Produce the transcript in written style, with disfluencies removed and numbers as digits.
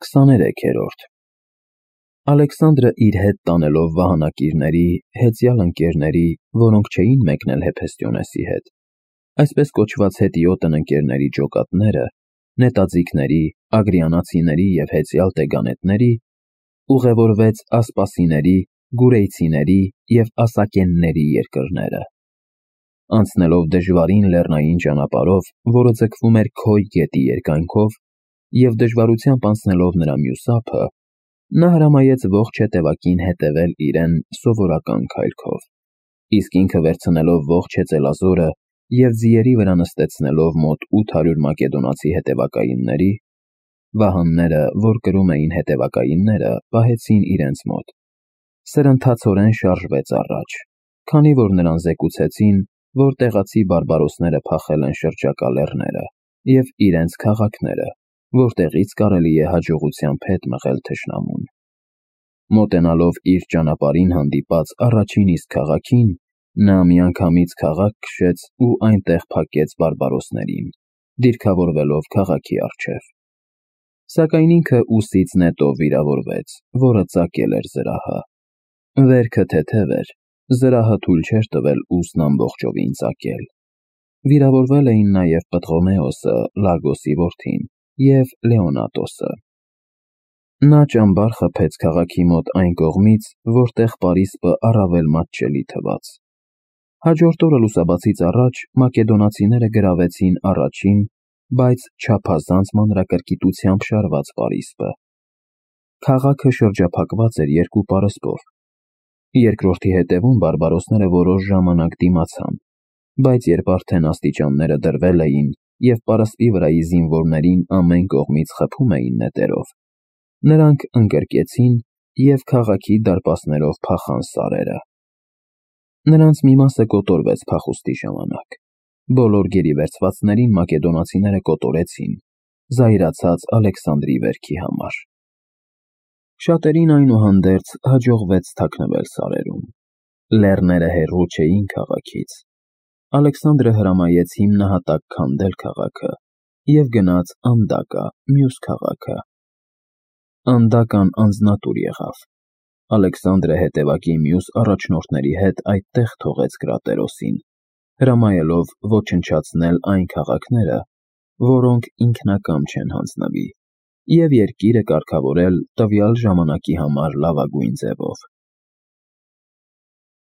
23-րդ Ալեքսանդրը իր հետ տանելով վահանակիրների, հեծյալ ընկերների, որոնք չէին մեկնել Հեփեստիոնեսի հետ, այսպես կոչված հետիոտն ընկերների ջոկատները, նետաձիգների, ագրիանացիների և հեծյալ տեգանետների, ուղևորվեց ասպասիների, գուրեյցիների և ասակենների երկրները։ Անցնելով դժվարին լեռնային ճանապարհով, որը ձգվում էր Քոյ գետի երկայնքով, և դժվարությամբ անցնելով նրա մյուս ափը, նա հրամայեց ողջ հետևակին հետևել իրեն սովորական քայլքով, իսկ ինքը վերցնելով ողջ հեծելազորը և ձիերի վրա նստեցնելով մոտ 800 մակեդոնացի հետևակայինների, վահանները, որ կրում էին հետևակայինները, պահեցին իրենց մոտ, սրընթացորեն շարժվեց առաջ, քանի որ նրան զեկուցեցին, որ տեղացի բարբարոսները փախել են շրջակա լեռները և իրենց քաղաքները, որտեղից կարելի է հաջողությամբ հետ մղել թշնամուն։ Մոտենալով իր ճանապարհին հանդիպած առաջին իսկ քաղաքին, նա միանգամից քաղաք քշեց ու այնտեղ փակեց բարբարոսներին, դիրքավորվելով քաղաքի առջև։ Սակայն ինքը ուսից նետով վիրավորվեց, որը ծակել էր զրահը։ Վերքը թեթև էր, զրահը թույլ չէր տվել ուսն ամբողջովին ծակել։ Վիրավորվել էին նաև Պտղոմեոսը, Լագոսի որդին, և Լեոնատոսը։ Նա ճամբար խփեց քաղաքի մոտ այն կողմից, որտեղ պարիսպը առավել մատչելի թվաց։ Հաջորդ օրը լուսաբացից առաջ մակեդոնացիները գրավեցին առաջին, բայց չափազանց մանրակրկիտությամբ շարված պարիսպը։ Քաղաքը շրջափակված էր երկու պարսպով։ Երկրորդի հետևում բարբարոսները որոշ ժամանակ դիմացան, բայց երբ արդեն աստիճանները դրվել էին և պարսպի վրայի զինվորներին ամեն կողմից խփում էին նետերով, նրանք ընկրկեցին և քաղաքի դարպասներով փախան սարերը։ Նրանց մի մասը կոտորվեց փախուստի ժամանակ։ Բոլոր գերի վերցվածներին մակեդոնացիները կոտորեցին, զայրացած Ալեքսանդրի վերքի համար։ Շատերին այնուհանդերձ հաջողվեց թաքնվել սարերում։ Լեռները հեռու չէին քաղաքից։ Ալեքսանդրը հրամայեց հիմնահատակ քանդել քաղաքը և գնաց Անդակա, մյուս քաղաքը։ Անդական անձնատուր եղավ։ Ալեքսանդրը հետևակի մյուս առաջնորդների հետ այդտեղ թողեց Կրատերոսին, հրամայելով ոչնչացնել այն քաղաքները, որոնք ինքնակամ չեն հանձնվի, և երկիրը կարգավորել տվյալ ժամանակի համար լավագույն ձևով։